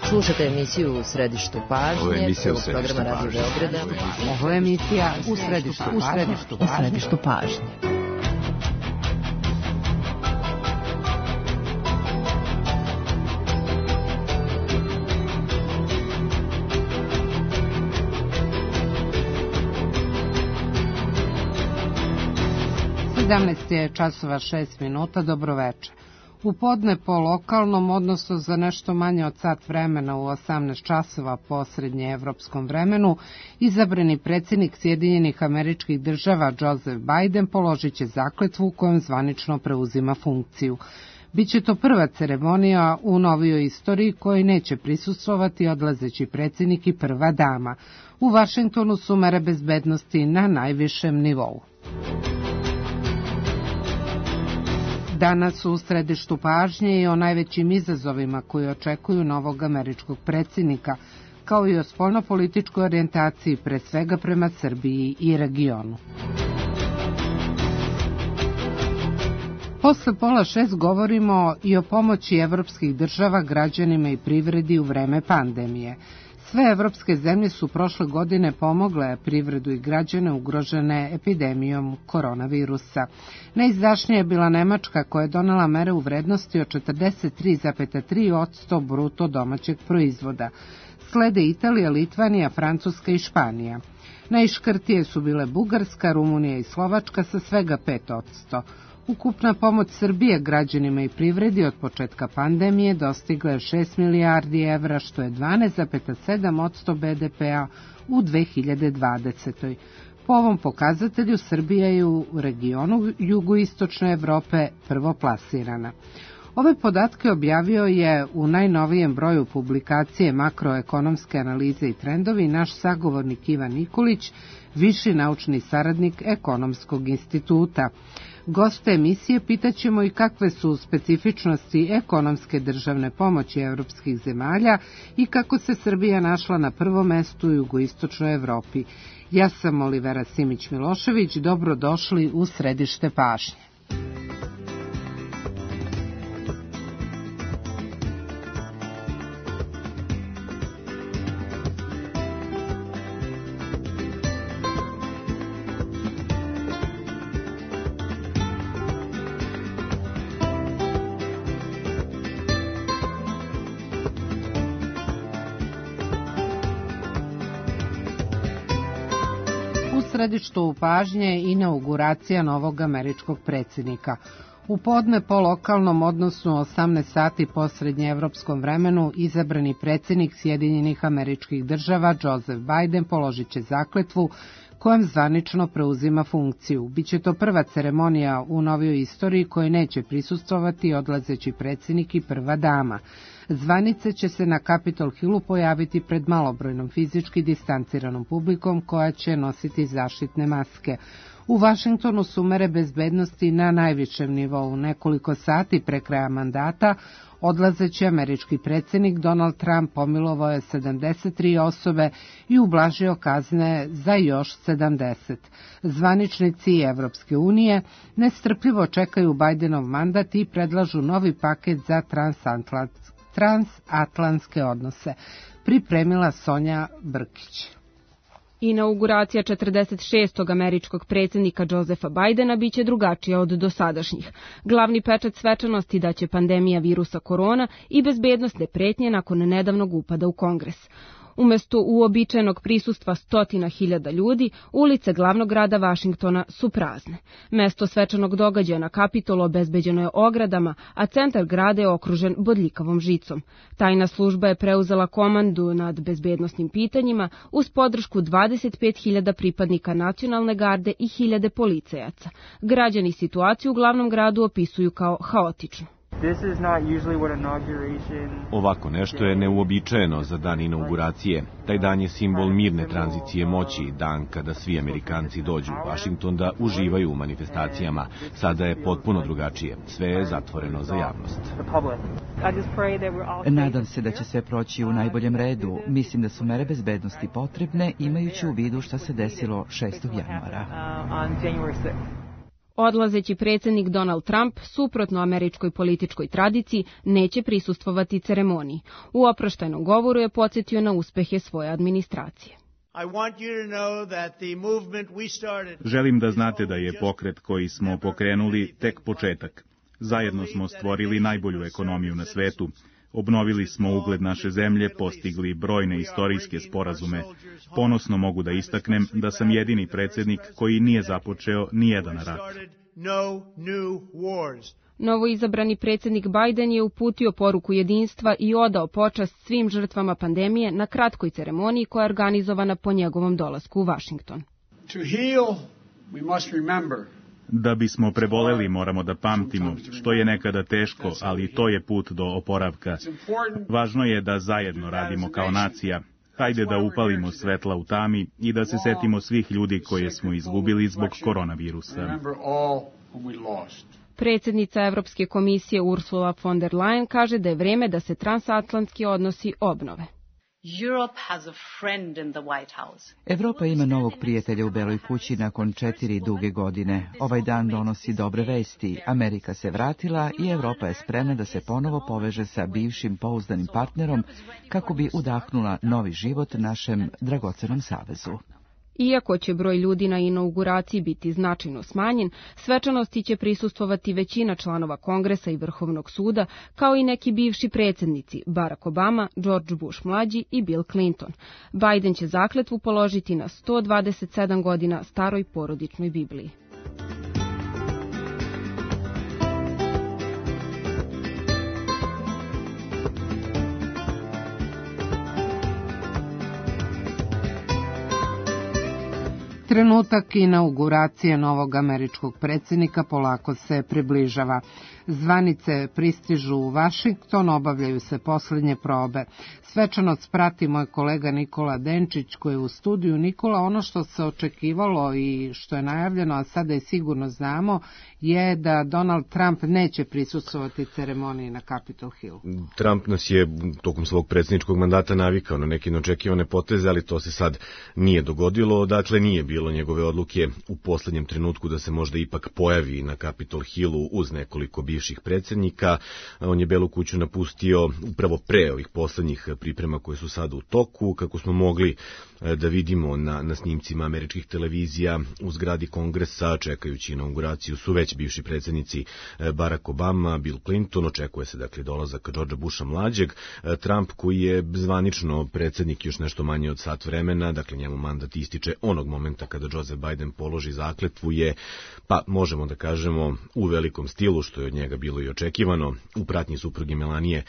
Slušate emisiju U središtu pažnje. Ovo je emisija U središtu pažnje. Ovo je emisija U središtu pažnje. Je časova 6 minuta, dobroveče. U podne po lokalnom, odnosno za nešto manje od sat vremena u 18 časova po srednjeevropskom vremenu, izabrani predsjednik Sjedinjenih Američkih Država Joseph Biden položit će zakletvu kojom zvanično preuzima funkciju. Biće to prva ceremonija u novijoj istoriji kojoj neće prisustvovati odlazeći predsjednik i prva dama. U Vašingtonu su mere bezbednosti na najvišem nivou. Danas u središtu pažnje i o najvećim izazovima koji očekuju novog američkog predsjednika, kao i o spoljnopolitičkoj orijentaciji, pre svega prema Srbiji i regionu. Posle 5:30 govorimo i o pomoći evropskih država građanima i privredi u vreme pandemije. Sve evropske zemlje su prošle godine pomogle privredu i građane ugrožene epidemijom koronavirusa. Najizdašnija je bila Nemačka koja je donela mere u vrednosti od 43,3% bruto domaćeg proizvoda. Slede Italija, Litvanija, Francuska i Španija. Najškrtije su bile Bugarska, Rumunija i Slovačka sa svega 5%. Ukupna pomoć Srbije građanima i privredi od početka pandemije dostigla je 6 milijardi evra, što je 12,7% BDP-a u 2020. Po ovom pokazatelju Srbija je u regionu jugoistočne Evrope prvoplasirana. Ove podatke objavio je u najnovijem broju publikacije Makroekonomske analize i trendovi naš sagovornik Ivan Nikolić, viši naučni saradnik Ekonomskog instituta. Goste emisije pitaćemo i kakve su specifičnosti ekonomske državne pomoći evropskih zemalja i kako se Srbija našla na prvom mestu u jugoistočnoj Evropi. Ja sam Olivera Simić-Milošević, dobrodošli u središte pažnje. U središtu pažnje inauguracija novog američkog predsjednika. U podne po lokalnom, odnosno 18 sati po srednjeevropskom vremenu, izabrani predsjednik Sjedinjenih Američkih Država Joseph Biden položit će zakletvu kojom zvanično preuzima funkciju. Biće to prva ceremonija u novijoj istoriji kojoj neće prisustvovati odlazeći predsjednik i prva dama. Zvanice će se na Capitol Hillu pojaviti pred malobrojnom fizički distanciranom publikom koja će nositi zaštitne maske. U Vašingtonu su mere bezbednosti na najvišem nivou. Nekoliko sati pre kraja mandata odlazeći američki predsjednik Donald Trump pomilovao je 73 osobe i ublažio kazne za još 70. Zvaničnici Evropske unije nestrpljivo čekaju Bidenov mandat i predlažu novi paket za transatlantske odnose. Pripremila Sonja Brkić. Inauguracija 46. američkog predsjednika Josepha Bidena biće drugačija od dosadašnjih. Glavni pečat svečanosti daće pandemija virusa korona i bezbednosne pretnje nakon nedavnog upada u Kongres. Umjesto uobičajenog prisustva 100.000 ljudi, ulice glavnog grada Vašingtona su prazne. Mesto svečanog događaja na Kapitolu obezbeđeno je ogradama, a centar grada je okružen bodljikavom žicom. Tajna služba je preuzela komandu nad bezbednosnim pitanjima uz podršku 25.000 pripadnika nacionalne garde i 1.000 policajaca. Građani situaciju u glavnom gradu opisuju kao haotičnu. Ovako nešto je neuobičajeno za dan inauguracije. Taj dan je simbol mirne tranzicije moći, dan kada svi Amerikanci dođu u Vašington da uživaju u manifestacijama. Sada je potpuno drugačije. Sve je zatvoreno za javnost. Nadam se da će sve proći u najboljem redu. Mislim da su mere bezbednosti potrebne, imajući u vidu šta se desilo 6. januara. Odlazeći predsjednik Donald Trump, suprotno američkoj političkoj tradiciji, neće prisustvovati ceremoniji. U oproštajnom govoru je podsjetio na uspehe svoje administracije. Želim da znate da je pokret koji smo pokrenuli tek početak. Zajedno smo stvorili najbolju ekonomiju na svetu. Obnovili smo ugled naše zemlje, postigli brojne istorijske sporazume. Ponosno mogu da istaknem da sam jedini predsjednik koji nije započeo nijedan rat. Novoizabrani predsjednik Biden je uputio poruku jedinstva i odao počast svim žrtvama pandemije na kratkoj ceremoniji koja je organizovana po njegovom dolasku u Washington. Da bismo preboleli, moramo da pamtimo, što je nekada teško, ali to je put do oporavka. Važno je da zajedno radimo kao nacija. Hajde da upalimo svetla u tami i da se setimo svih ljudi koje smo izgubili zbog koronavirusa. Predsjednica Evropske komisije Ursula von der Leyen kaže da je vreme da se transatlantski odnosi obnove. Evropa ima novog prijatelja u Beloj kući nakon 4 duge godine. Ovaj dan donosi dobre vesti. Amerika se vratila i Evropa je spremna da se ponovo poveže sa bivšim pouzdanim partnerom kako bi udahnula novi život našem dragocenom savezu. Iako će broj ljudi na inauguraciji biti značajno smanjen, svečanosti će prisustvovati većina članova Kongresa i Vrhovnog suda, kao i neki bivši predsjednici Barack Obama, George Bush mlađi i Bill Clinton. Biden će zakletvu položiti na 127 godina staroj porodičnoj Bibliji. Trenutak inauguracije novog američkog predsjednika polako se približava. Zvanice pristižu u Vašington, obavljaju se posljednje probe. Svečanost prati moj kolega Nikola Denčić koji je u studiju. Nikola, ono što se očekivalo i što je najavljeno, a sada i sigurno znamo, je da Donald Trump neće prisustvovati ceremoniji na Capitol Hill. Trump nas je tokom svog predsjedničkog mandata navikao na neke neočekivane poteze, ali to se sad nije dogodilo, dakle nije bilo njegove odluke u posljednjem trenutku da se možda ipak pojavi na Capitol Hillu uz nekoliko bivših predsjednika. On je Belu kuću napustio upravo pre ovih posljednjih priprema koje su sada u toku, kako smo mogli da vidimo na snimcima američkih televizija u zgradi Kongresa, čekajući inauguraciju su već bivši predsjednici Barack Obama, Bill Clinton, očekuje se dakle dolazak Georgea Busha mlađeg, Trump koji je zvanično predsjednik još nešto manje od sat vremena, dakle njemu mandat ističe onog momenta kada Joseph Biden položi zakletvu je, pa možemo da kažemo, u velikom stilu, što je od njega bilo i očekivano, u pratnji supruge Melanije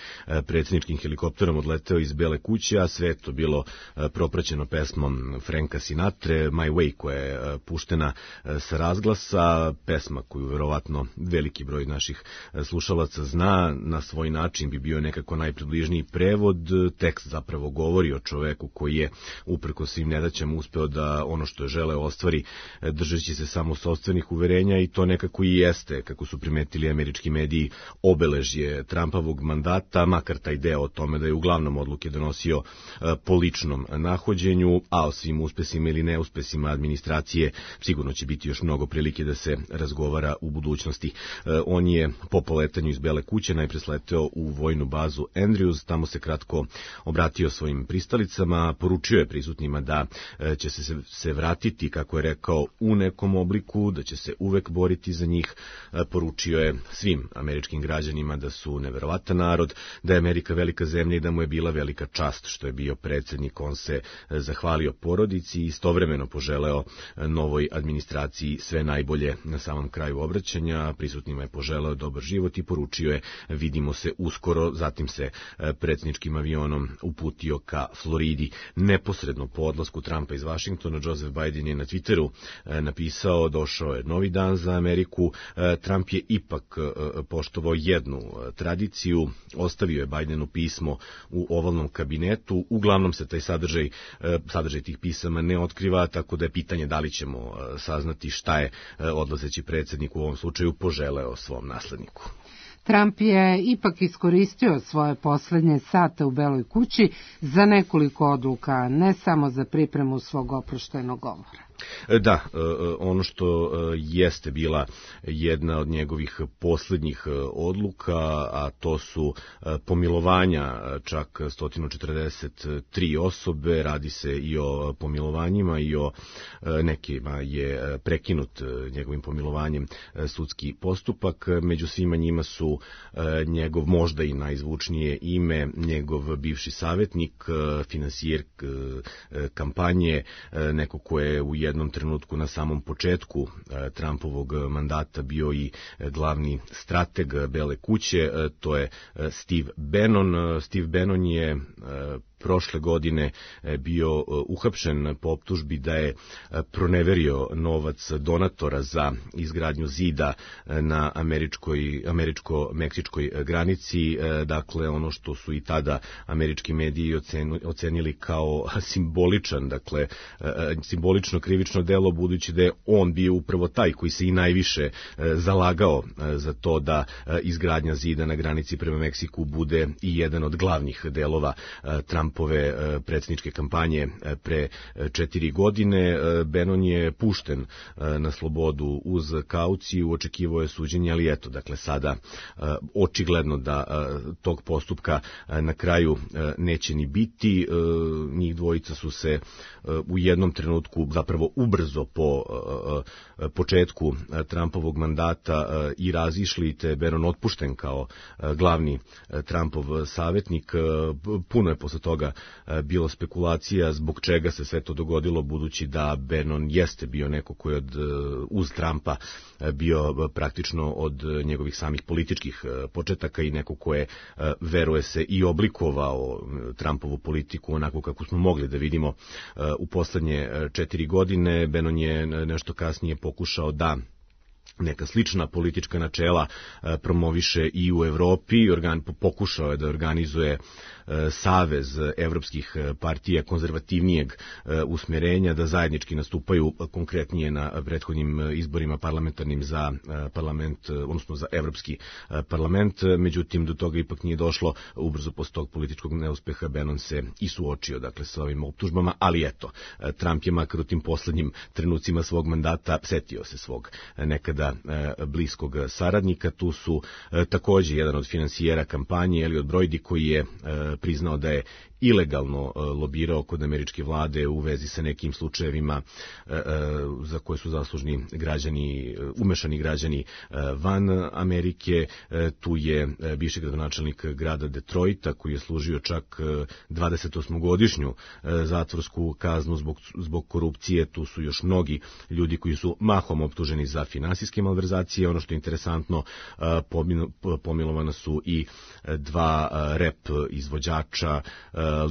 predsjedničkim helikopterom odleteo iz Bele kuće, a sve to bilo propraćeno pesmom Franka Sinatre, My Way, koja je puštena sa razglasa, pesma koju verovatno veliki broj naših slušalaca zna, na svoj način bi bio nekako najpribližniji prevod. Tekst zapravo govori o čoveku koji je uprko svim nedaćama uspeo da ono što je želeo ostvari držeći se samo sopstvenih uverenja i to nekako i jeste, kako su primetili američki mediji, obeležje Trumpovog mandata, makar taj deo o tome da je uglavnom odluke donosio po ličnom nahođenju, a o svim uspesima ili neuspesima administracije sigurno će biti još mnogo prilike da se razgovara u budućnosti. On je po poletanju iz Bele kuće najpre sleteo u vojnu bazu Andrews, tamo se kratko obratio svojim pristalicama, poručio je prisutnima da će se vratiti, kako je rekao, u nekom obliku, da će se uvek boriti za njih, poručio je svim američkim građanima da su neverovatan narod, da je Amerika velika zemlja i da mu je bila velika čast što je bio predsjednik. On se zahvalio porodici i istovremeno poželeo novoj administraciji sve najbolje. Na samom kraju obraćanja prisutnima je poželeo dobar život i poručio je vidimo se uskoro, zatim se predsjedničkim avionom uputio ka Floridi. Neposredno po odlasku Trumpa iz Vašingtona, Joseph Biden je na Twitteru napisao došao je novi dan za Ameriku. Trump je ipak poštovao jednu tradiciju, ostavio je Bidenu pismo u ovalnom kabinetu, uglavnom se taj sadržaj tih pisama ne otkriva, tako da je pitanje da li ćemo saznati šta je odlazeći predsjednik u ovom slučaju poželeo svom nasledniku. Trump je ipak iskoristio svoje posljednje sate u Beloj kući za nekoliko odluka, ne samo za pripremu svog oproštajnog govora. Da, ono što jeste bila jedna od njegovih posljednjih odluka, a to su pomilovanja čak 143 osobe, radi se i o pomilovanjima i o nekima je prekinut njegovim pomilovanjem sudski postupak, među svima njima su njegov možda i najzvučnije ime, njegov bivši savjetnik, finansijer kampanje, neko ko je u jednom trenutku na samom početku Trumpovog mandata bio i glavni strateg Bele kuće, to je Steve Bannon. Steve Bannon je prošle godine bio uhapšen po optužbi da je proneverio novac donatora za izgradnju zida na američko-meksičkoj granici, dakle ono što su i tada američki mediji ocenili kao simbolično krivično delo, budući da je on bio upravo taj koji se i najviše zalagao za to da izgradnja zida na granici prema Meksiku bude i jedan od glavnih delova Trumpove predsjedničke kampanje pre 4 godine. Bannon je pušten na slobodu uz kauciju, očekivao je suđenje, ali eto, dakle sada očigledno da tog postupka na kraju neće ni biti. Njih dvojica su se u jednom trenutku zapravo ubrzo po početku Trumpovog mandata i razišli, te Bannon otpušten kao glavni Trumpov savjetnik. Puno je posle toga bilo spekulacija zbog čega se sve to dogodilo, budući da Bannon jeste bio neko koji je uz Trumpa bio praktično od njegovih samih političkih početaka i neko ko je, veruje se, i oblikovao Trumpovu politiku onako kako smo mogli da vidimo u poslednje 4 godine. Bannon je nešto kasnije pokušao da neka slična politička načela promoviše i u Evropi. Pokušao je da organizuje savez evropskih partija konzervativnijeg usmjerenja, da zajednički nastupaju konkretnije na prethodnim izborima parlamentarnim za parlament, odnosno za Evropski parlament. Međutim, do toga ipak nije došlo. Ubrzo posle tog političkog neuspeha Bannon se i suočio, dakle, sa ovim optužbama, ali eto, Trump je makar u tim poslednjim trenucima svog mandata setio se svog nekada bliskog saradnika. Tu su takođe jedan od finansijera kampanje, Elliot Broidy, koji je priznao da je ilegalno lobirao kod američke vlade u vezi sa nekim slučajevima za koje su zaslužni građani, umešani građani van Amerike. Tu je bivši gradonačelnik grada Detroita, koji je služio čak 28-godišnju zatvorsku kaznu zbog korupcije. Tu su još mnogi ljudi koji su mahom optuženi za finansijske malverzacije. Ono što je interesantno, pomilovana su i 2 rap izvođača,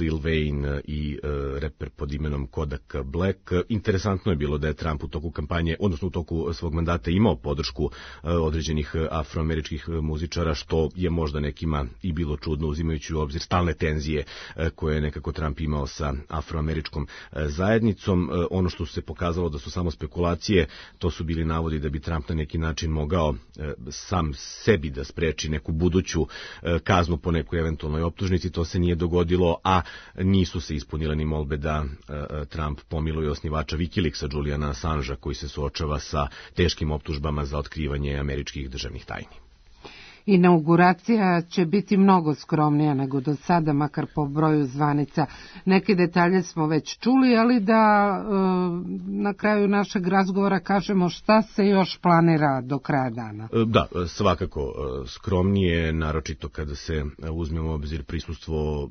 Lil Wayne i reper pod imenom Kodak Black. Interesantno je bilo da je Trump u toku kampanje, odnosno u toku svog mandata, imao podršku određenih afroameričkih muzičara, što je možda nekima i bilo čudno, uzimajući u obzir stalne tenzije koje je nekako Trump imao sa afroameričkom zajednicom. Ono što se pokazalo da su samo spekulacije, to su bili navodi da bi Trump na neki način mogao sam sebi da spreči neku buduću kaznu po nekoj eventualnoj optužnici. To se nije dogodilo, a nisu se ispunile ni molbe da Trump pomiluje osnivača Wikileaksa, Juliana Assangea, koji se suočava sa teškim optužbama za otkrivanje američkih državnih tajni. Inauguracija će biti mnogo skromnija nego do sada, makar po broju zvanica. Neke detalje smo već čuli, ali da na kraju našeg razgovora kažemo šta se još planira do kraja dana. Da, svakako skromnije, naročito kada se uzmemo u obzir prisustvo,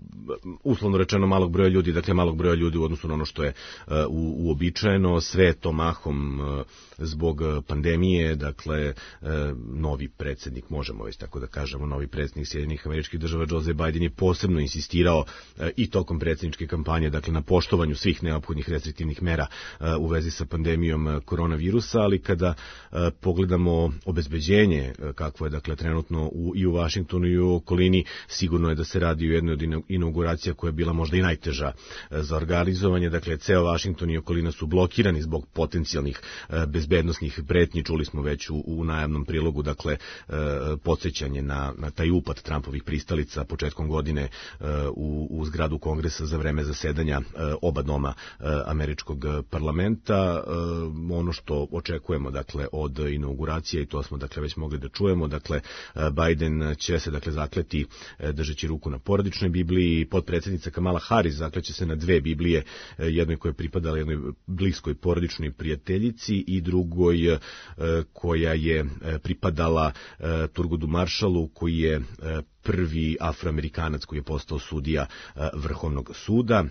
uslovno rečeno, malog broja ljudi, dakle malog broja ljudi u odnosu na ono što je uobičajeno. Sve je to mahom zbog pandemije, dakle novi predsjednik, možemo već tako da kažemo, novi predsjednik Sjedinjenih Američkih Država Joe Biden je posebno insistirao i tokom predsjedničke kampanje, dakle, na poštovanju svih neophodnih restriktivnih mera u vezi sa pandemijom koronavirusa, ali kada pogledamo obezbeđenje kakvo je, dakle, trenutno i u Vašingtonu i u okolini, sigurno je da se radi o jednoj od inauguracija koja je bila možda i najteža za organizovanje. Dakle, ceo Vašington i okolina su blokirani zbog potencijalnih bezbednosnih pretnji. Čuli smo već u najavnom prilogu, dakle, podsjećamo podsećanje na taj upad Trumpovih pristalica početkom godine u zgradu Kongresa za vreme zasedanja oba doma američkog parlamenta. Ono što očekujemo dakle od inauguracije, i to smo dakle već mogli da čujemo, dakle Biden će se dakle zakleti držeći ruku na porodičnoj Bibliji, potpredsjednica Kamala Harris zakleće se na dve Biblije, jednoj koja je pripadala jednoj bliskoj porodičnoj prijateljici i drugoj koja je pripadala Thurgoodu Marshallu, koji je prvi Afroamerikanac koji je postao sudija Vrhovnog suda.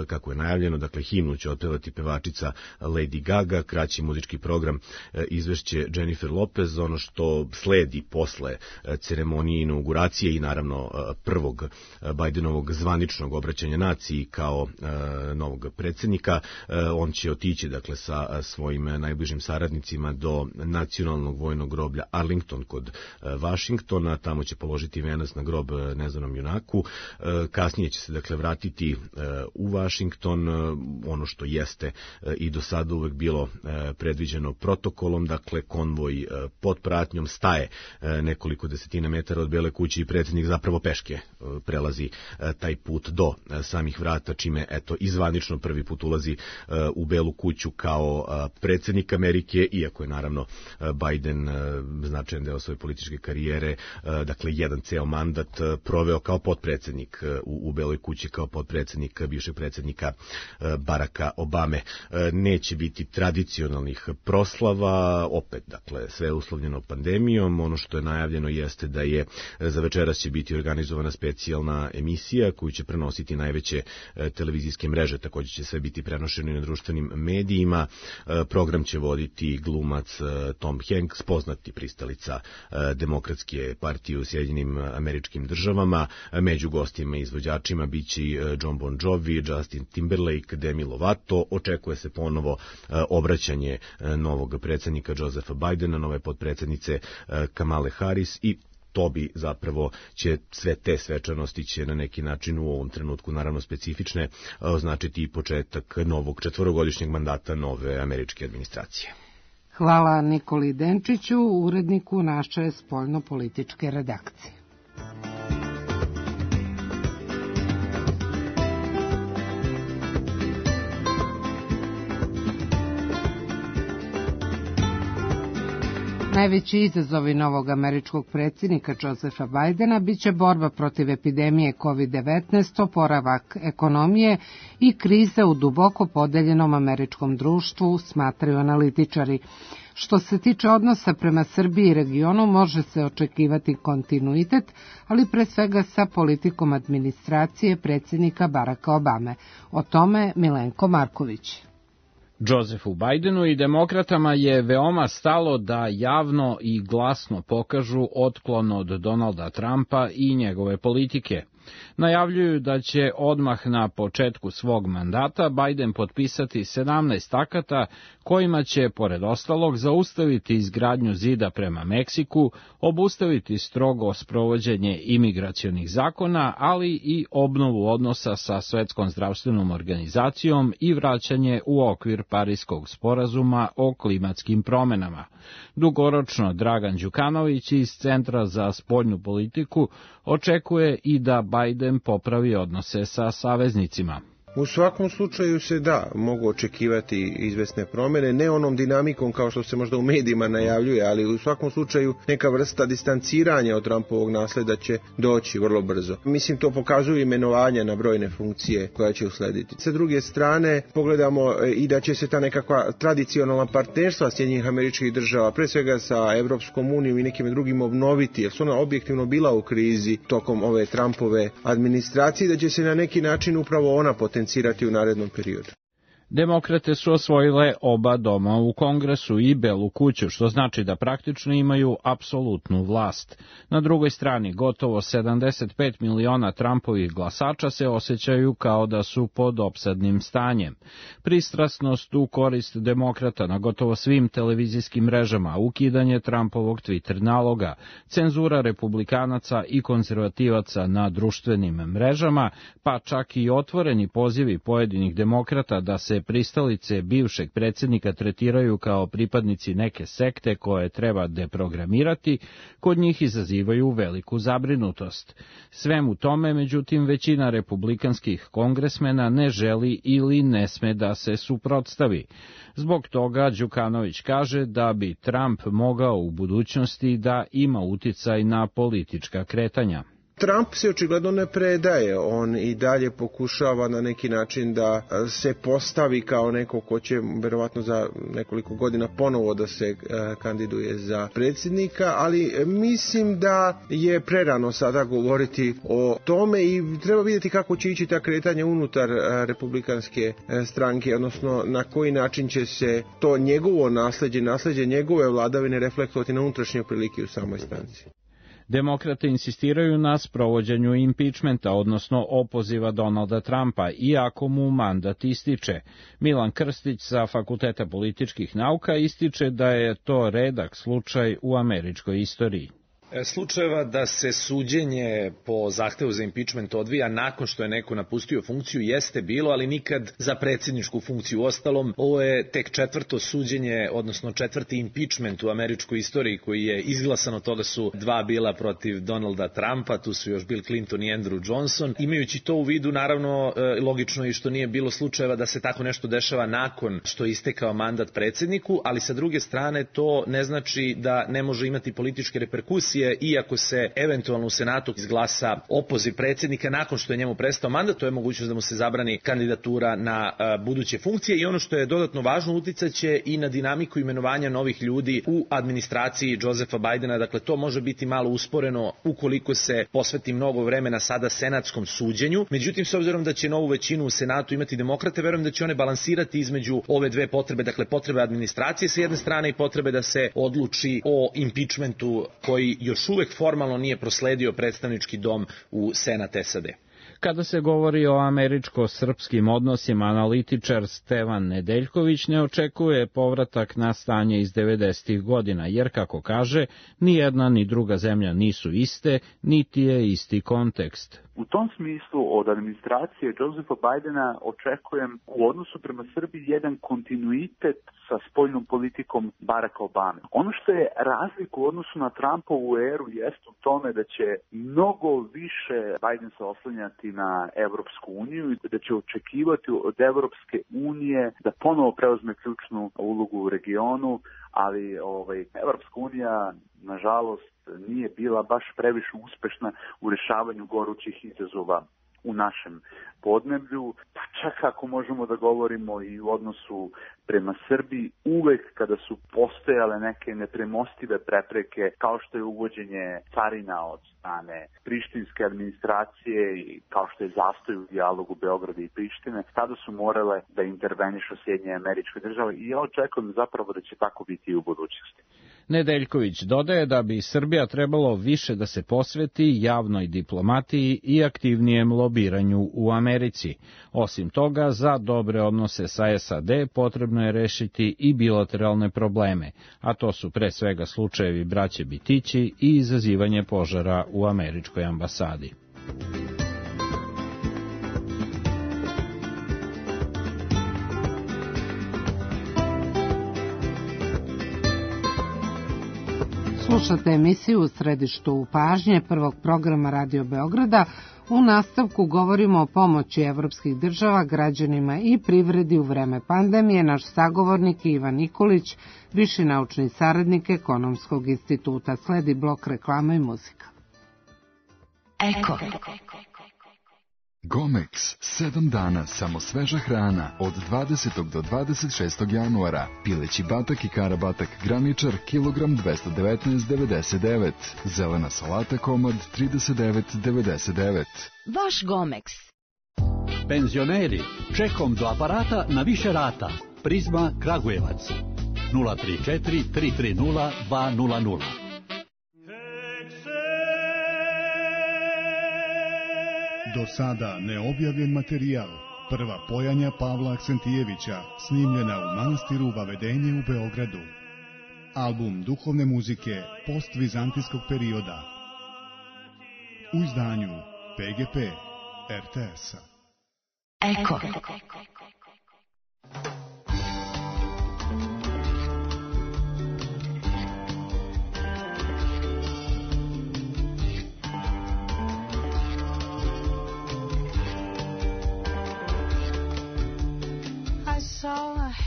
Kako je najavljeno, dakle, himnu će otpevati pevačica Lady Gaga, kraći muzički program izvešće Jennifer Lopez. Ono što sledi posle ceremonije inauguracije i naravno prvog Bidenovog zvaničnog obraćanja naciji kao novog predsjednika, on će otići dakle sa svojim najbližim saradnicima do nacionalnog vojnog groblja Arlington kod Vašingtona, tamo će položiti venac na grob neznanom junaku. Kasnije će se dakle vratiti u Vašington, ono što jeste i do sada uvek bilo predviđeno protokolom, dakle konvoj pod pratnjom staje nekoliko desetina metara od Bele kuće i predsjednik zapravo peške prelazi taj put do samih vrata, čime eto izvanično prvi put ulazi u Belu kuću kao predsjednik Amerike, iako je naravno Biden značajan deo svoje političke karijere, dakle jedan ceo mandat proveo kao potpredsjednik u Beloj kući, kao potpredsjednik bivšeg predsjednika Baracka Obame. Neće biti tradicionalnih proslava, opet, dakle, sve uslovljeno pandemijom. Ono što je najavljeno jeste da je za večeras će biti organizovana specijalna emisija koju će prenositi najveće televizijske mreže, također će sve biti prenošeno na društvenim medijima. Program će voditi glumac Tom Hanks, poznati pristalica Demokratske partije u Sjedinjenim Američkim Državama. Među gostima i izvođačima biće Jon Bon Jovi, Justin Timberlake, Demi Lovato. Očekuje se ponovo obraćanje novog predsjednika Josepha Bidena, nove potpredsjednice Kamale Harris, i to bi zapravo će sve te svečanosti će na neki način u ovom trenutku, naravno specifične, označiti i početak novog 4-godišnjeg mandata nove američke administracije. Hvala Nikoli Denčiću, uredniku naše spoljnopolitičke redakcije. Najveći izazovi novog američkog predsjednika Josepha Bidena biće borba protiv epidemije COVID-19, oporavak ekonomije i krize u duboko podeljenom američkom društvu, smatraju analitičari. Što se tiče odnosa prema Srbiji i regionu, može se očekivati kontinuitet, ali pre svega sa politikom administracije predsjednika Baracka Obame. O tome Milenko Marković. Josephu Bidenu i demokratama je veoma stalo da javno i glasno pokažu otklon od Donalda Trumpa i njegove politike. Najavljuju da će odmah na početku svog mandata Biden potpisati 17 akata kojima će, pored ostalog, zaustaviti izgradnju zida prema Meksiku, obustaviti strogo sprovođenje imigracionih zakona, ali i obnovu odnosa sa Svetskom zdravstvenom organizacijom i vraćanje u okvir Pariskog sporazuma o klimatskim promenama. Dugoročno Dragan Đukanović iz Centra za spoljnu politiku očekuje i da Biden popravi odnose sa saveznicima. U svakom slučaju se mogu očekivati izvesne promjene, ne onom dinamikom kao što se možda u medijima najavljuje, ali u svakom slučaju neka vrsta distanciranja od Trumpovog nasleda će doći vrlo brzo. Mislim, to pokazuju imenovanja na brojne funkcije koja će uslediti. Sa druge strane, pogledamo i da će se ta nekakva tradicionalna partnerstva Sjedinjenih Američkih Država, pre svega sa Evropskom unijom i nekim drugim, obnoviti, jer su ona objektivno bila u krizi tokom ove Trumpove administracije, da će se na neki način upravo ona potencijirati u narednom periodu. Demokrate su osvojile oba doma u Kongresu i Belu kuću, što znači da praktično imaju apsolutnu vlast. Na drugoj strani, gotovo 75 miliona Trumpovih glasača se osjećaju kao da su pod opsadnim stanjem. Pristrasnost u korist demokrata na gotovo svim televizijskim mrežama, ukidanje Trumpovog Twitter naloga, cenzura republikanaca i konzervativaca na društvenim mrežama, pa čak i otvoreni pozivi pojedinih demokrata da se se pristalice bivšeg predsjednika tretiraju kao pripadnici neke sekte koje treba deprogramirati, kod njih izazivaju veliku zabrinutost. Svemu tome, međutim, većina republikanskih kongresmena ne želi ili ne sme da se suprotstavi. Zbog toga Đukanović kaže da bi Trump mogao u budućnosti da ima uticaj na politička kretanja. Trump se očigledno ne predaje, on i dalje pokušava na neki način da se postavi kao neko ko će verovatno za nekoliko godina ponovo da se kandiduje za predsjednika, ali mislim da je prerano sada govoriti o tome i treba vidjeti kako će ići ta kretanja unutar republikanske stranke, odnosno na koji način će se to njegovo nasleđe njegove vladavine reflektovati na unutrašnje prilike u samoj stranci. Demokrate insistiraju na sprovođenju impičmenta, odnosno opoziva Donalda Trumpa, iako mu mandat ističe. Milan Krstić sa Fakulteta političkih nauka ističe da je to redak slučaj u američkoj istoriji. Slučajeva da se suđenje po zahtevu za impičment odvija nakon što je neko napustio funkciju jeste bilo, ali nikad za predsjedničku funkciju. Uostalom, ovo je tek četvrto suđenje, odnosno četvrti impičment u američkoj istoriji koji je izglasan. Od toga su dva bila protiv Donalda Trumpa, tu su još Bill Clinton i Andrew Johnson. Imajući to u vidu, naravno, logično je što nije bilo slučajeva da se tako nešto dešava nakon što je istekao mandat predsjedniku, ali sa druge strane to ne znači da ne može imati političke reperkusije, iako se eventualno u Senatu izglasa opoziv predsjednika nakon što je njemu prestao mandat, to je mogućnost da mu se zabrani kandidatura na buduće funkcije i ono što je dodatno važno, uticaće i na dinamiku imenovanja novih ljudi u administraciji Josepha Bidena. Dakle, to može biti malo usporeno ukoliko se posveti mnogo vremena sada senatskom suđenju. Međutim, s obzirom da će novu većinu u Senatu imati demokrate, verujem da će one balansirati između ove dve potrebe, dakle potrebe administracije sa jedne strane i potrebe da se odluči o impičmentu koji još uvek formalno nije prosledio predstavnički dom u Senat SAD. Kada se govori o američko-srpskim odnosima, analitičar Stevan Nedeljković ne očekuje povratak na stanje iz 90. godina, jer, kako kaže, ni jedna ni druga zemlja nisu iste, niti je isti kontekst. U tom smislu od administracije Josepha Bidena očekujem u odnosu prema Srbiji jedan kontinuitet sa spoljnom politikom Baracka Obame. Ono što je razlika u odnosu na Trumpovu eru jeste u tome da će mnogo više Biden se oslanjati na Evropsku uniju i da će očekivati od Evropske unije da ponovo preuzme ključnu ulogu u regionu, ali Evropska unija, nažalost, nije bila baš previše uspešna u rešavanju gorućih izazova u našem podneblju, pa čak ako možemo da govorimo i u odnosu prema Srbiji, uvek kada su postojale neke nepremostive prepreke, kao što je uvođenje carina od strane prištinske administracije i kao što je zastoj u dijalogu Beograda i Prištine, tada su morale da intervenišu Sjedinjene Američke Države i ja očekujem zapravo da će tako biti i u budućnosti. Nedeljković dodaje da bi Srbija trebalo više da se posveti javnoj diplomatiji i aktivnijem lobiranju u Americi. Osim toga, za dobre odnose sa SAD potrebno je rešiti i bilateralne probleme, a to su pre svega slučajevi braće Bitići i izazivanje požara u američkoj ambasadi. Slušate emisiju U središtu pažnje prvog programa Radio Beograda. U nastavku govorimo o pomoći evropskih država građanima i privredi u vreme pandemije. Naš sagovornik je Ivan Nikolić, viši naučni saradnik Ekonomskog instituta. Sledi blok reklama i muzika. Eko. Gomex, 7 dana samo sveža hrana od 20. do 26. januara. Pileći batak i karabatak graničar kilogram 219,99. Zelena salata komad 39,99. Vaš Gomex. Penzioneri, čekom do aparata na više rata. Prizma Kragujevac. 034 330 200. Do sada neobjavljen materijal, prva pojanja Pavla Aksentijevića, snimljena u manastiru Vavedenje u Beogradu. Album duhovne muzike postvizantijskog perioda. U izdanju PGP RTS-a. Eko.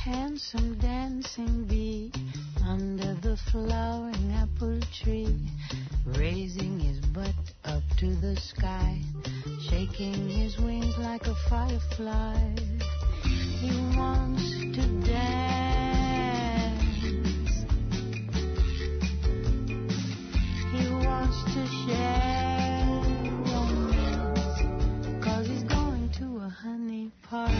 Handsome dancing bee under the flowering apple tree, raising his butt up to the sky, shaking his wings like a firefly. He wants to dance. He wants to share romance, 'cause he's going to a honey party.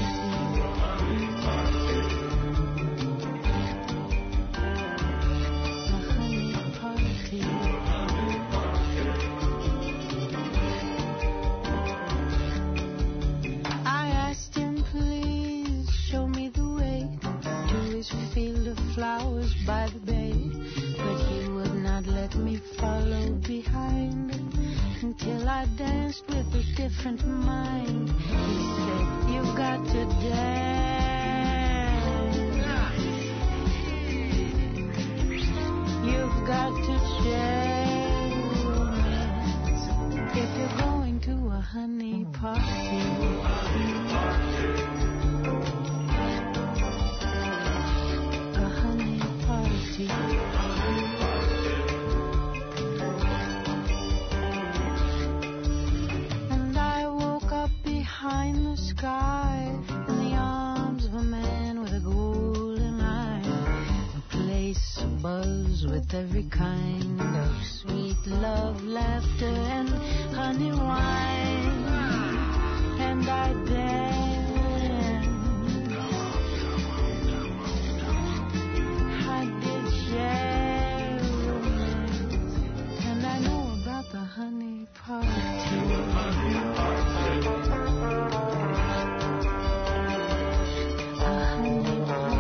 Flowers by the bay, but he would not let me follow behind until I danced with a different mind. He said, "You've got to dance. You've got to share romance if you're going to a honey party." And I woke up behind the sky in the arms of a man with a golden eye, a place abuzz with every kind of sweet love, laughter, and honey wine. And I danced. I did share romance, and I know about the honey party. A honey party.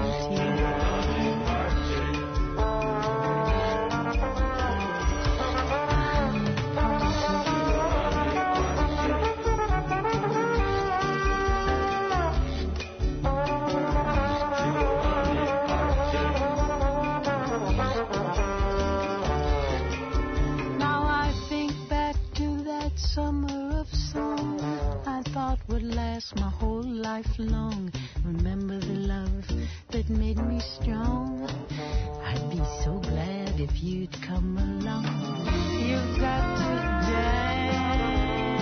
My whole life long, remember the love that made me strong. I'd be so glad if you'd come along. You've got to dance.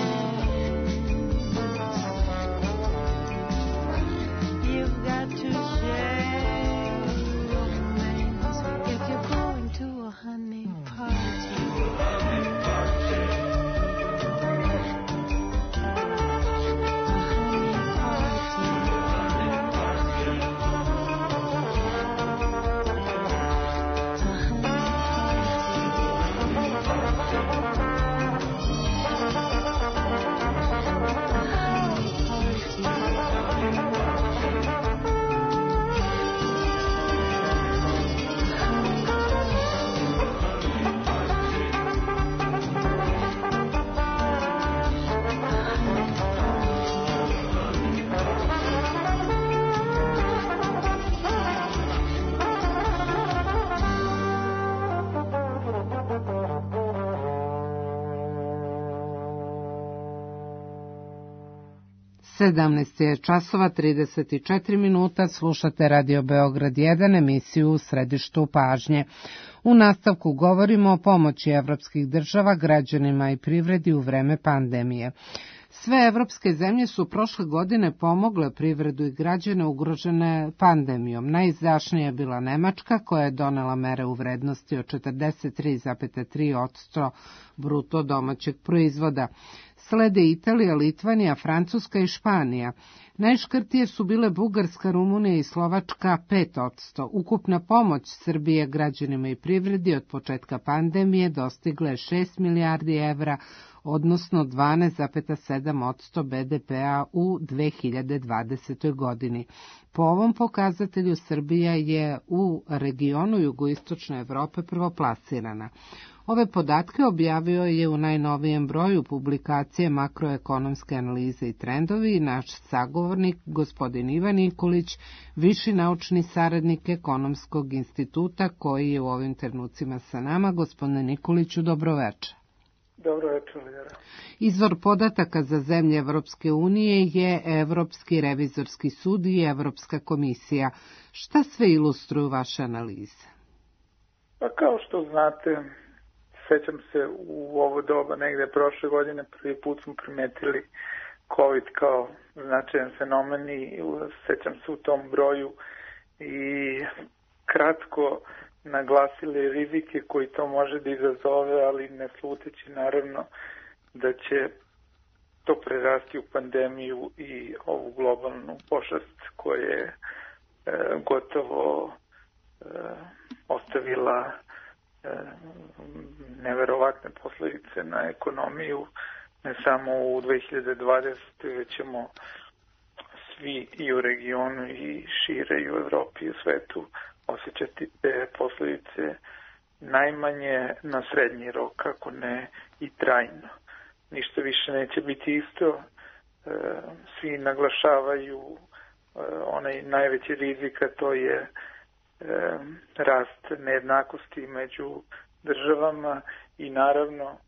You've got to share romance if you're going to a honey party. Sedamnaest je časova 34 minuta, slušate Radio Beograd 1, emisiju U središtu pažnje. U nastavku govorimo o pomoći evropskih država građanima i privredi u vreme pandemije. Sve evropske zemlje su prošle godine pomogle privredu i građane ugrožene pandemijom. Najizdašnija je bila Nemačka, koja je donela mere u vrednosti od 43,3% bruto domaćeg proizvoda. Slede Italija, Litvanija, Francuska i Španija. Najškrtije su bile Bugarska, Rumunija i Slovačka 5%. Ukupna pomoć Srbije građanima i privredi od početka pandemije dostigla je 6 milijardi evra, odnosno 12,7% BDP-a u 2020. godini. Po ovom pokazatelju Srbija je u regionu jugoistočne Evrope prvoplasirana. Ove podatke objavio je u najnovijem broju publikacije Makroekonomske analize i trendovi naš sagovornik, gospodin Ivan Nikolić, viši naučni saradnik Ekonomskog instituta, koji je u ovim trenucima sa nama. Gospodine Nikoliću, dobroveče. Dobro večer, Ljera. Izvor podataka za zemlje Evropske unije je Evropski revizorski sud i Evropska komisija. Šta sve ilustruju vaše analize? Pa kao što znate, sećam se u ovo doba negde prošle godine prvi put smo primetili COVID kao značajan fenomen i sećam se u tom broju i kratko naglasili rizike koji to može da izazove, ali ne sluteći naravno da će to prerasti u pandemiju i ovu globalnu pošast koja je gotovo ostavila neverovatne posledice na ekonomiju, ne samo u 2020. već ćemo svi i u regionu i šire i u Evropi i u svetu osjećati te posledice najmanje na srednji rok, ako ne i trajno. Ništa više neće biti isto. Svi naglašavaju onaj najveći rizik, a to je rast nejednakosti među državama i naravno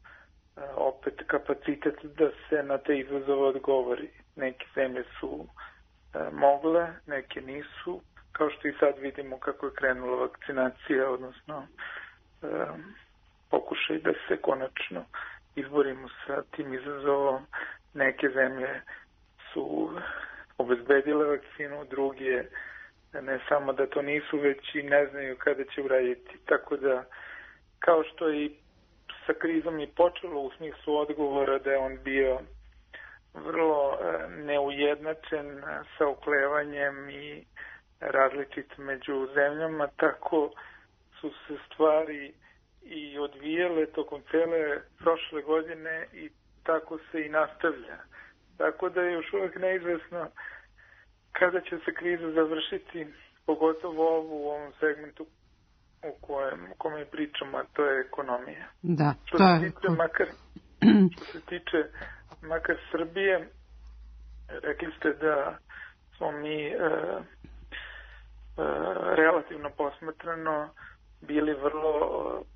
opet kapacitet da se na te izazove odgovori. Neke zemlje su mogle, neke nisu, kao što i sad vidimo kako je krenula vakcinacija, odnosno pokušaj da se konačno izborimo sa tim izazovom. Neke zemlje su obezbedile vakcinu, druge ne samo da to nisu, već i ne znaju kada će uraditi. Tako da, kao što je i sa krizom i počelo u smislu odgovora da je on bio vrlo neujednačen sa oklevanjem i različit među zemljama, tako su se stvari i odvijele tokom cele prošle godine i tako se i nastavlja. Tako da je još uvek neizvesno kada će se kriza završiti, pogotovo u ovom segmentu u kojem pričamo, a to je ekonomija. Da, što se tiče makar Srbije, rekli ste da smo mi relativno posmatrano bili vrlo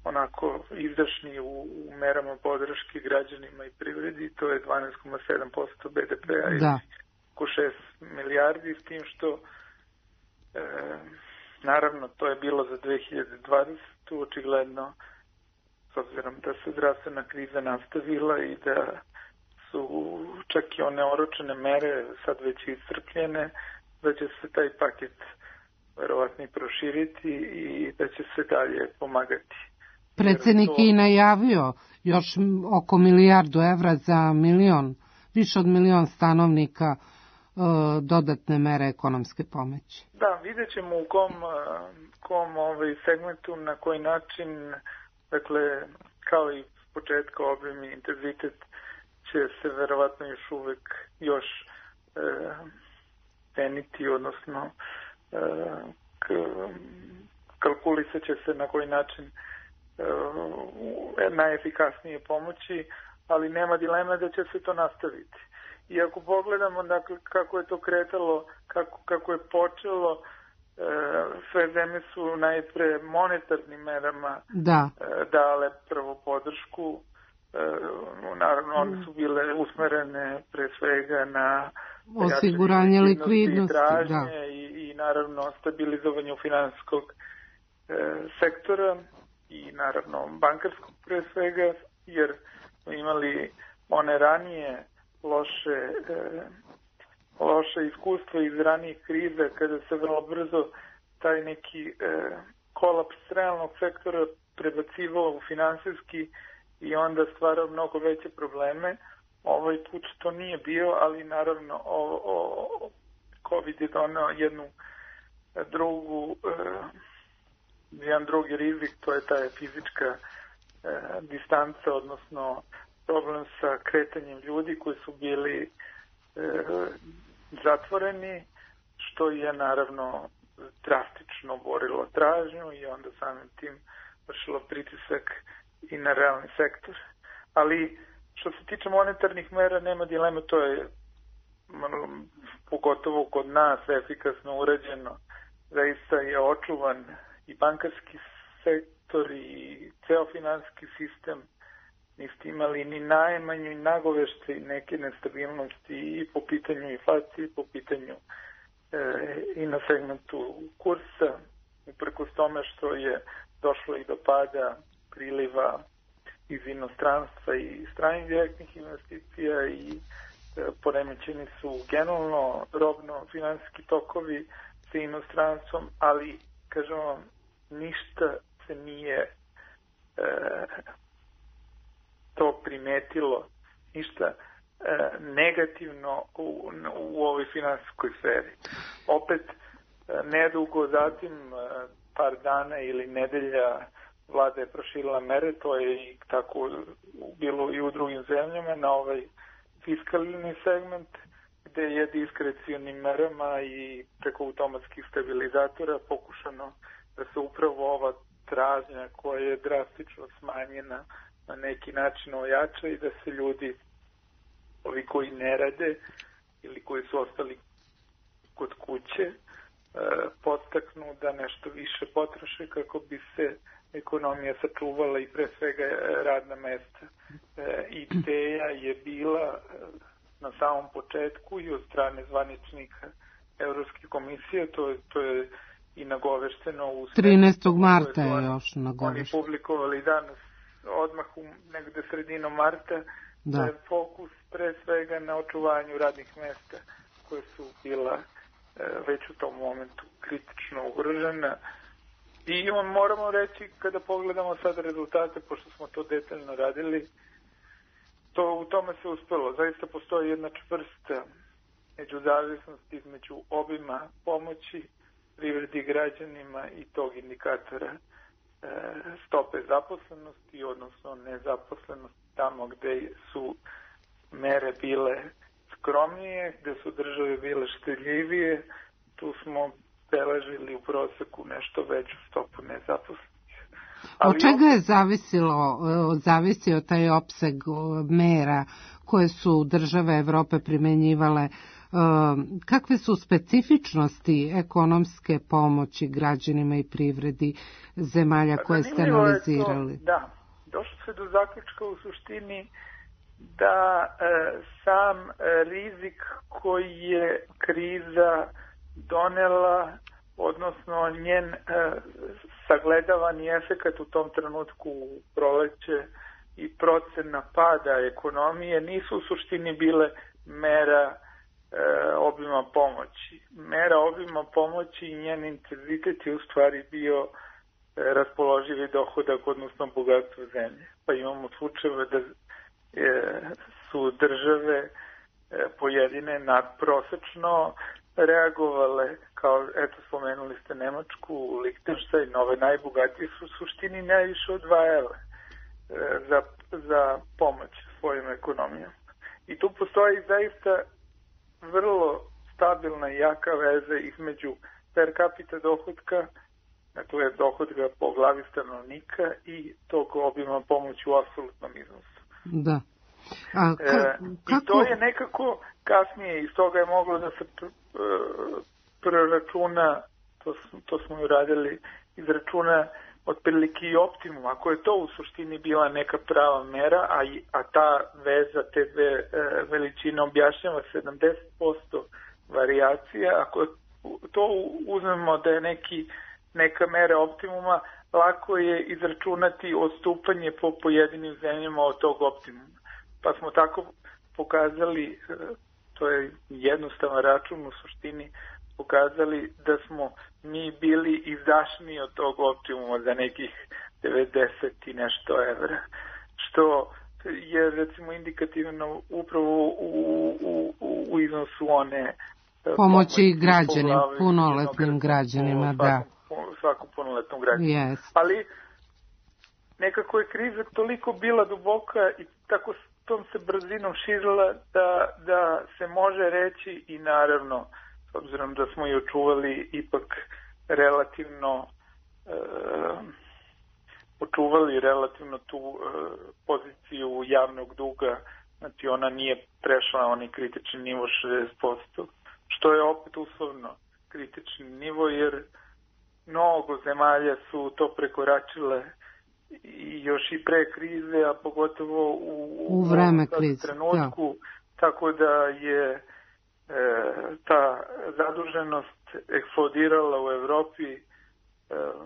onako izdašni u merama podrške građanima i privredi, to je 12,7% BDP-a ili oko 6 milijardi, s tim što naravno to je bilo za 2020. Očigledno, s obzirom da se zdravstvena kriza nastavila i da su čak i one oročene mere sad već iscrpljene, da će se taj paket verovatno i proširiti i da će se dalje pomagati. Predsednik je i najavio još oko 1 milijardu evra za više od 1 milion stanovnika dodatne mere ekonomske pomoći. Da, vidjet ćemo u kom segmentu, na koji način, dakle, kao i početka obim i intenzitet će se verovatno još ceniti, odnosno kalkulisat će se na koji način najefikasnije pomoći, ali nema dileme da će se to nastaviti. I ako pogledamo dakle, kako je to kretalo, kako je počelo, sve zemlje su najpre monetarnim merama dale prvo podršku. Naravno, one su bile usmerene pre svega na osiguranje likvidnosti i naravno stabilizovanje finansijskog sektora i naravno bankarskog pre svega, jer smo imali one ranije loše iskustvo iz ranijih kriza kada se vrlo brzo taj neki kolaps realnog sektora prebacivao u finansijski i onda stvarao mnogo veće probleme. Ovaj put to nije bio, ali naravno COVID je donao jedan drugi rizik, to je ta fizička distanca, odnosno problem sa kretanjem ljudi koji su bili zatvoreni, što je naravno drastično borilo tražnju i onda samim tim vršilo pritisak i na realni sektor. Ali što se tiče monetarnih mera, nema dilema, to je pogotovo kod nas efikasno urađeno. Zaista je očuvan i bankarski sektor i ceo finansijski sistem. Niste imali ni najmanju i nagovešte neke nestabilnosti i po pitanju inflacije, po pitanju i na segmentu kursa, uprkos tome što je došlo i do pada priliva iz inostranstva i stranih direktnih investicija i poremećeni su generalno robno finansijski tokovi sa inostranstvom, ali, kažem vam, ništa se nije to primetilo, ništa negativno u ovoj finansijskoj sferi. Opet, nedugo zatim, par dana ili nedelja, vlada je proširila mere, to je i tako bilo i u drugim zemljama, na ovaj fiskalni segment, gde je diskrecionim merama i preko automatskih stabilizatora pokušano da se upravo ova tražnja koja je drastično smanjena na neki način ojača i da se ljudi, ovi koji ne rade ili koji su ostali kod kuće, podstaknu da nešto više potroše kako bi se ekonomija sačuvala i pre svega radna mesta. Ideja je bila na samom početku i od strane zvaničnika Evropske komisije, to je i nagovešteno u 13. marta je još nagovešteno. Oni publikovali danas odmah negde sredinom marta, da je fokus pre svega na očuvanju radnih mesta koje su bila već u tom momentu kritično ugrožena. I moramo reći, kada pogledamo sad rezultate, pošto smo to detaljno radili, u tome se uspelo. Zaista postoji jedna čvrsta međuzavisnost između obima pomoći privredi građanima i tog indikatora stope zaposlenosti, odnosno nezaposlenosti, tamo gde su mere bile skromnije, gde su države bile štedljivije, tu smo beležili u proseku nešto veću stopu nezaposlenih. Od čega je zavisio taj opseg mera koje su države Evrope primenjivale? Kakve su specifičnosti ekonomske pomoći građanima i privredi zemalja koje ste analizirali? Da, došlo se do zaključka u suštini da sam rizik koji je kriza donela, odnosno njen sagledavani efekat u tom trenutku u proleće i procena pada ekonomije nisu u suštini bile mera obima pomoći. Mera obima pomoći i njen intenzitet je u stvari bio raspoloživi dohodak, odnosno bogatstvo zemlje. Pa imamo slučajeve da su države pojedine nadprosečno reagovale, kao, eto, spomenuli ste Nemačku, Lihtenštajn, ove najbogatije su u suštini najviše odvajale za pomoć svojim ekonomijom. I tu postoji zaista vrlo stabilna i jaka veza između per capita dohodka, dakle dohodka po glavi stanovnika i tog obima pomoći u apsolutnom iznosu. Da. I to je nekako kasnije, iz toga je moglo da se preračuna, to smo i uradili, izračuna otprilike i optimum, ako je to u suštini bila neka prava mera, a ta veza, te dve veličine objašnjava 70% varijacija, ako to uzmemo da je neka mera optimuma, lako je izračunati odstupanje po pojedinim zemljama od tog optimuma. Pa smo tako pokazali, to je jednostavan račun u suštini, pokazali da smo mi bili izdašniji od tog optimuma za nekih 90 i nešto evra, što je recimo indikativno upravo u iznosu one pomoći građanima, punoletnim građanima, da. Svakom punoletnom građanima. Yes. Ali nekako je kriza toliko bila duboka i tako tom se brzinom širila da se može reći i naravno, s obzirom da smo i očuvali ipak relativno očuvali relativno tu poziciju javnog duga, znači ona nije prešla onaj kritični nivo 60%, što je opet uslovno kritični nivo, jer mnogo zemalja su to prekoračile i još i pre krize, a pogotovo u vreme krize, trenutku, tako da je ta zaduženost eksplodirala u Evropi.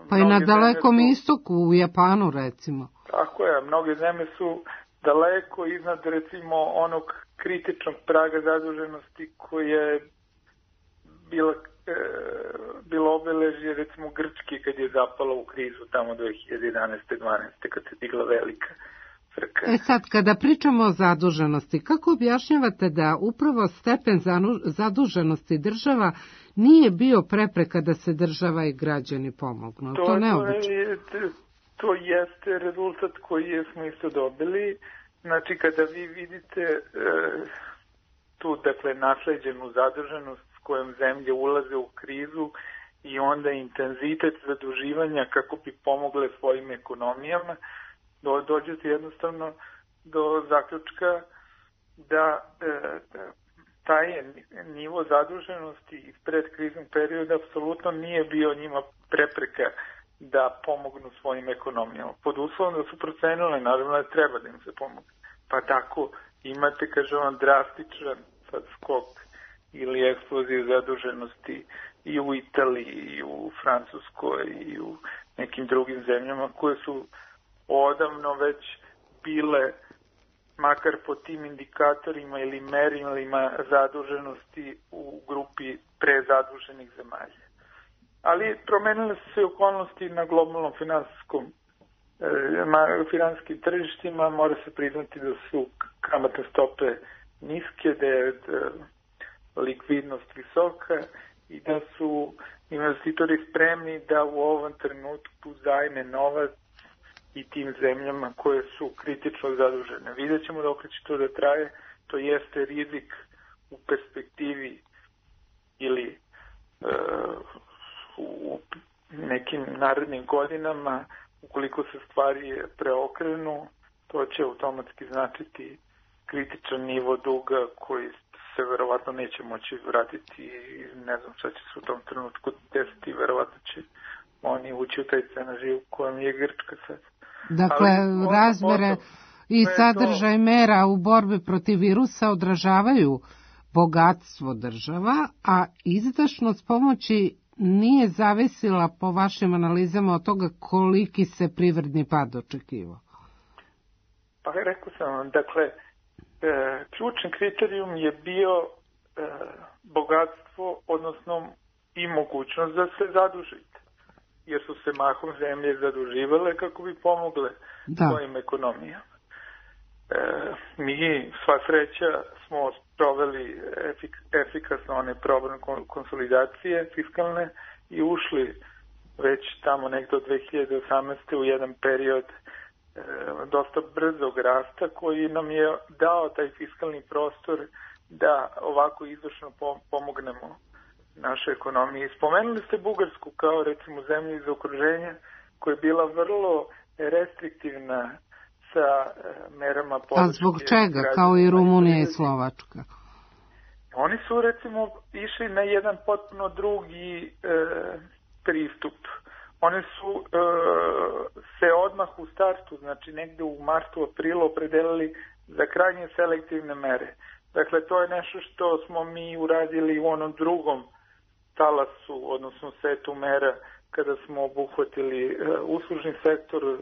Pa i na Dalekom istoku, u Japanu recimo. Tako je, mnoge zemlje su daleko iznad recimo onog kritičnog praga zaduženosti koje je bilo obeležje recimo Grčke kad je zapala u krizu tamo 2011-12. kad se digla velika frka. Sad, kada pričamo o zaduženosti, kako objašnjavate da upravo stepen zaduženosti država nije bio prepreka da se država i građani pomognu? To jeste rezultat koji smo isto dobili. Znači, kada vi vidite tu, dakle, nasleđenu zaduženost s kojom zemlje ulaze u krizu i onda intenzitet zaduživanja kako bi pomogle svojim ekonomijama, dođete jednostavno do zaključka da taj nivo zaduženosti iz predkriznog perioda apsolutno nije bio njima prepreka da pomognu svojim ekonomijama. Pod uslovom da su procenile, naravno da treba da im se pomogne. Pa tako imate, kažem vam, drastičan skok ili eksploziju zaduženosti i u Italiji, i u Francuskoj, i u nekim drugim zemljama koje su odavno već bile, makar po tim indikatorima ili merilima zaduženosti, u grupi prezaduženih zemalja. Ali promenile su se okolnosti na globalnom finansijskim tržištima, mora se priznati da su kamatne stope niske, da je likvidnost visoka i da su investitori spremni da u ovom trenutku zajme novac i tim zemljama koje su kritično zadužene. Vidjet ćemo dok će to da traje, to jeste rizik u perspektivi ili u nekim narednim godinama, ukoliko se stvari preokrenu, to će automatski značiti kritičan nivo duga koji se verovatno neće moći vratiti i ne znam šta će se u tom trenutku desiti, verovatno će oni ući u taj scenario u kojem je Grčka sad. Dakle, razmere i sadržaj mera u borbi protiv virusa odražavaju bogatstvo država, a izdašnost pomoći nije zavisila po vašim analizama od toga koliki se privredni pad očekivao. Pa rekao sam vam, dakle, ključni kriterijum je bio bogatstvo, odnosno i mogućnost da se zadužite, jer su se mahom zemlje zaduživale kako bi pomogle svojim ekonomijama. Mi, sva sreća, smo proveli efikasno one program konsolidacije fiskalne i ušli već tamo nekdo 2018. u jedan period dosta brzog rasta koji nam je dao taj fiskalni prostor da ovako izvršno pomognemo našoj ekonomiji. Spomenuli ste Bugarsku kao recimo zemlju iz okruženja koja je bila vrlo restriktivna sa merama podrške. A zbog čega? Kao i Rumunija i Slovačka. Oni su recimo išli na jedan potpuno drugi pristup. Oni su se odmah u startu, znači negde u martu, aprilu opredelili za krajnje selektivne mere. Dakle, to je nešto što smo mi uradili u onom drugom talasu, odnosno setu mera, kada smo obuhvatili uslužni sektor,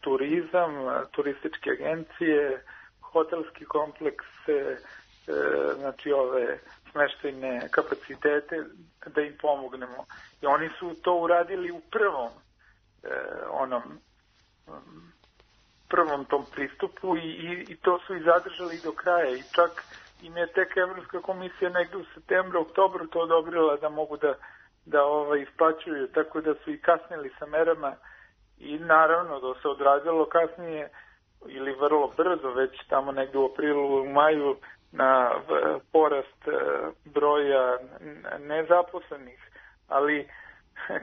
turizam, turističke agencije, hotelski kompleks, znači ove smeštajne kapacitete, da im pomognemo. I oni su to uradili u prvom tom pristupu i to su i zadržali do kraja. I čak im je tek Evropska komisija negde u septembru, oktobru to odobrila da mogu da isplaćuju, tako da su i kasnili sa merama i naravno da se odrazilo kasnije ili vrlo brzo, već tamo negde u aprilu, u maju, na porast broja nezaposlenih, ali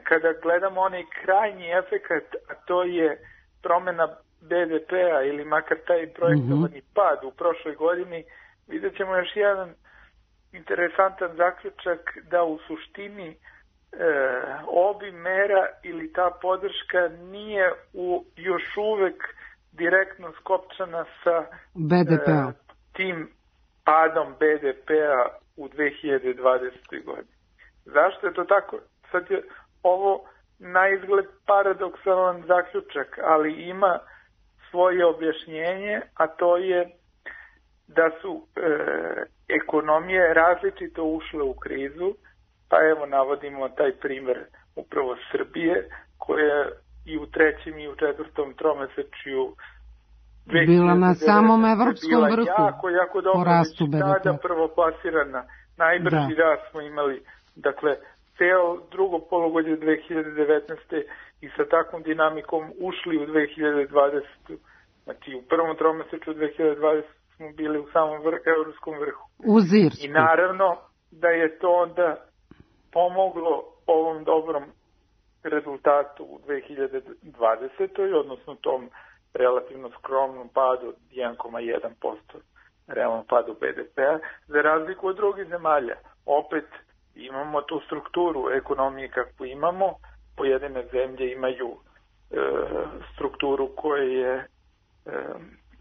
kada gledamo onaj krajnji efekat, a to je promjena BDP-a ili makar taj projektovani pad u prošloj godini, vidjet ćemo još jedan interesantan zaključak da u suštini obim mera ili ta podrška nije još uvek direktno skopčana sa tim padom BDP-a u 2020. godini. Zašto je to tako? Sad je ovo na izgled paradoksalan zaključak, ali ima svoje objašnjenje, a to je da su ekonomije različito ušle u krizu, pa evo navodimo taj primer upravo Srbije, koja i u 3. i u 4. tromesečju bila na samom evropskom vrhu jako dobro, po rastu BDP. Prvoplasirana, najbrži rast smo imali, dakle, ceo drugo polugodje 2019. i sa takvom dinamikom ušli u 2020. Znači, u prvom tromesečju 2020. smo bili u samom evropskom vrhu. Uz Irsku. I naravno da je to onda pomoglo ovom dobrom rezultatu u 2020. odnosno tom relativno skromnom padu 1,1% realnom padu BDP-a, za razliku od drugih zemalja. Opet imamo tu strukturu ekonomije kakvu imamo, pojedine zemlje imaju strukturu koja je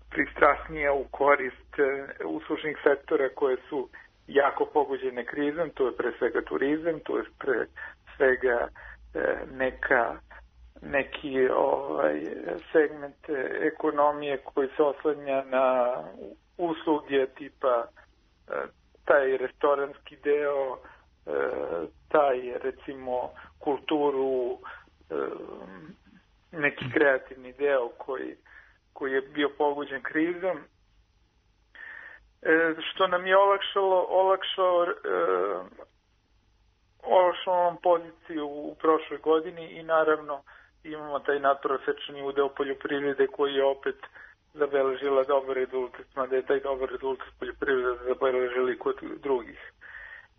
pristrasnija u korist uslužnih sektora koje su jako pogođene krizom, to je pre svega turizam, to je pre svega neki segment ekonomije koji se oslanja na usluge tipa taj restoranski deo, taj recimo kulturu, neki kreativni deo koji je bio pogođen krizom, što nam je olakšalo nam poziciju u prošloj godini i naravno imamo taj nadprosečni udeo poljoprivrede koji je opet zabeležila dobar rezultat, mada je taj dobar rezultat poljoprivrede zabeležili kod drugih.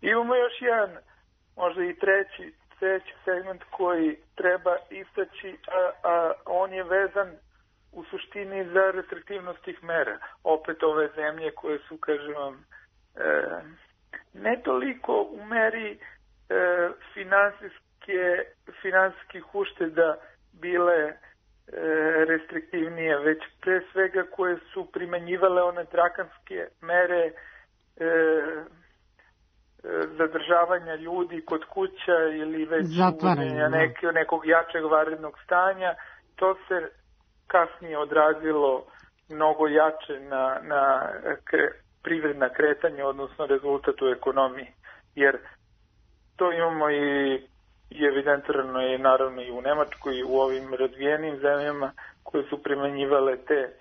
Imamo još jedan, možda i treći segment koji treba istaći, a on je vezan u suštini za restriktivnost tih mera. Opet ove zemlje koje su, kažem vam, ne toliko u meri finansijskih ušteda bile restriktivnije, već pre svega koje su primenjivale one drakonske mere zadržavanja ljudi kod kuća ili već uvođenja nekog jačeg vanrednog stanja. To se kasnije odrazilo mnogo jače na privredna kretanja, odnosno rezultat u ekonomiji. Jer to imamo i evidentirano je naravno i u Nemačkoj i u ovim razvijenim zemljama koje su primenjivale te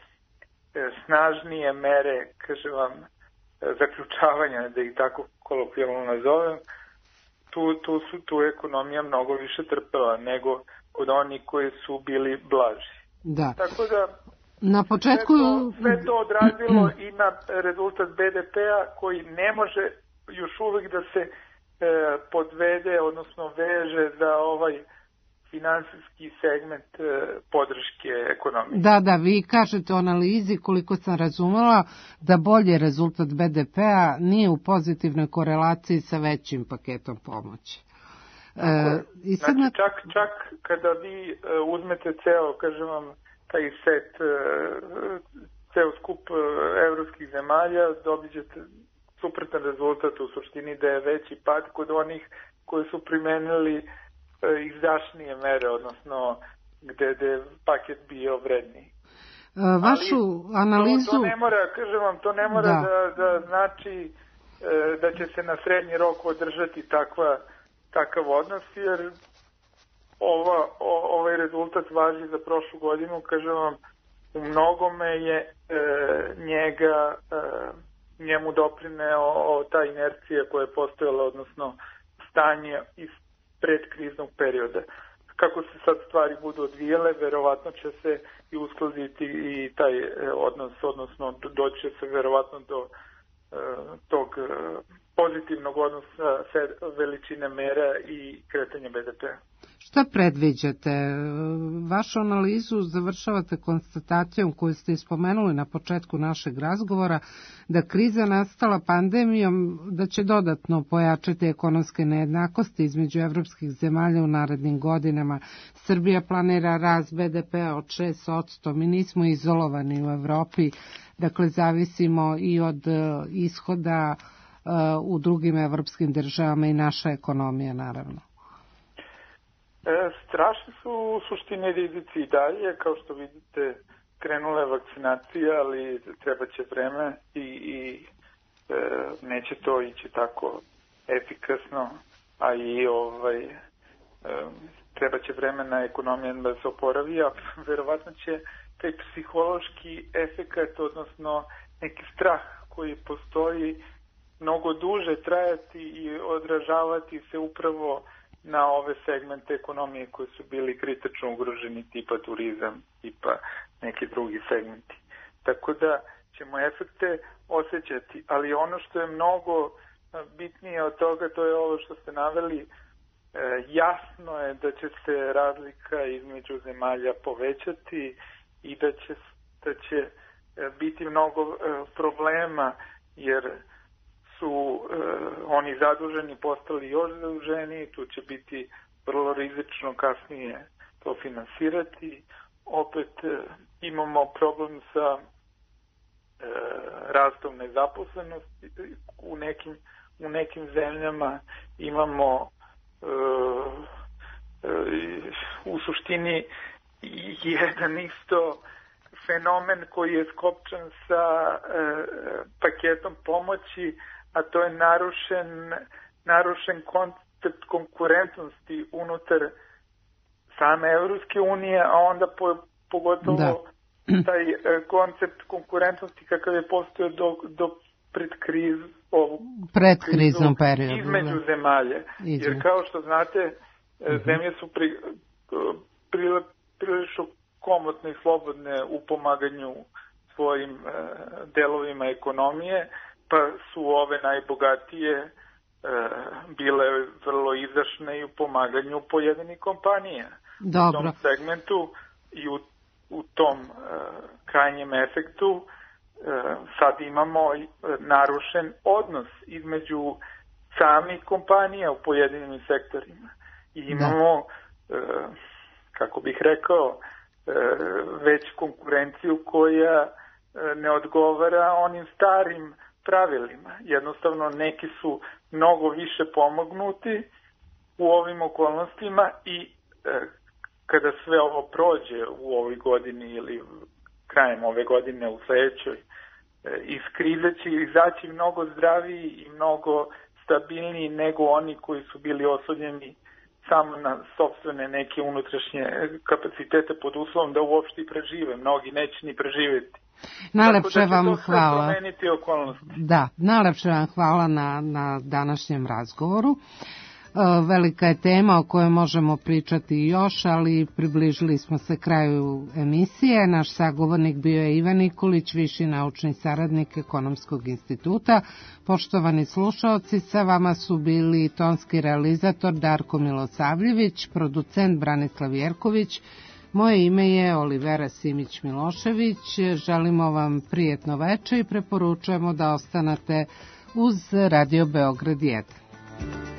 snažnije mere, kažem vam, zaključavanja, da ih tako kolokvijalno nazovem. Tu ekonomija mnogo više trpela nego kod onih koji su bili blaži. Da. Tako da na početku sve to odrazilo i na rezultat BDP-a koji ne može još uvijek da se podvede, odnosno veže za ovaj finansijski segment podrške ekonomije. Da, vi kažete u analizi, koliko sam razumela, da bolji rezultat BDP-a nije u pozitivnoj korelaciji sa većim paketom pomoći. Znači, čak kada vi uzmete ceo, kažem vam, taj set, ceo skup evropskih zemalja, dobićete suprotan rezultat, u suštini da je veći pad kod onih koji su primenili izdašnije mere, odnosno gde je paket bio vredniji. Vašu analizu... To ne mora, kažem vam, to ne mora da znači da će se na srednji rok održati takav odnos, jer ovaj rezultat važi za prošlu godinu, kažem vam, u mnogome je njemu doprineo ta inercija koja je postojala, odnosno stanje iz predkriznog perioda. Kako se sad stvari budu odvijele, verovatno će se i uskladiti i taj odnos, odnosno doći će se verovatno do tog pozitivnog odnosa veličine mera i kretanja BDP-a. Šta predviđate? Vašu analizu završavate konstatacijom koju ste ispomenuli na početku našeg razgovora, da kriza nastala pandemijom, da će dodatno pojačati ekonomske nejednakosti između evropskih zemalja u narednim godinama. Srbija planira rast BDP-a od 6%. Mi nismo izolovani u Evropi, dakle zavisimo i od ishoda u drugim evropskim državama i naša ekonomija, naravno. Strašni su u suštini rizici i dalje, kao što vidite krenula je vakcinacija, ali treba će vreme i neće to ići tako efikasno, a i treba će vremena ekonomija da se oporavi, a verovatno će taj psihološki efekat, odnosno neki strah koji postoji, mnogo duže trajati i odražavati se upravo na ove segmente ekonomije koji su bili kritično ugroženi, tipa turizam, tipa neki drugi segmenti. Tako da ćemo efekte osjećati, ali ono što je mnogo bitnije od toga, to je ovo što ste naveli, jasno je da će se razlika između zemalja povećati i da će biti mnogo problema, jer su oni zaduženi postali još zaduženi, tu će biti vrlo rizično kasnije to finansirati. Opet imamo problem sa rastom nezaposlenosti u nekim zemljama, imamo u suštini jedan isto fenomen koji je skopčan sa paketom pomoći, a to je narušen koncept konkurentnosti unutar same Evropske unije, a onda pogotovo taj koncept konkurentnosti kakav je postojao do predkriznom periodu između zemalja. Jer kao što znate, zemlje su prilično komotne i slobodne u pomaganju svojim delovima ekonomije, pa su ove najbogatije bile vrlo izdašne i u pomaganju pojedinih kompanija. Dobro. U tom segmentu i u tom krajnjem efektu sad imamo narušen odnos između samih kompanija u pojedinim sektorima. I imamo, kako bih rekao, već konkurenciju koja ne odgovara onim starim pravilima. Jednostavno neki su mnogo više pomognuti u ovim okolnostima i kada sve ovo prođe u ovoj godini ili krajem ove godine u sledećoj, iz krize će izaći mnogo zdraviji i mnogo stabilniji nego oni koji su bili oslonjeni samo na sopstvene neke unutrašnje kapacitete pod uslovom da uopšte prežive. Mnogi neće ni preživjeti. Najlepše vam hvala. Da, najlepše vam hvala na današnjem razgovoru. Velika je tema o kojoj možemo pričati još, ali približili smo se kraju emisije. Naš sagovornik bio je Ivan Nikolić, viši naučni saradnik Ekonomskog instituta. Poštovani slušaoci, sa vama su bili tonski realizator Darko Milosavljević, producent Branislav Jerković. Moje ime je Olivera Simić-Milošević. Želimo vam prijetno veče i preporučujemo da ostanete uz Radio Beograd 1.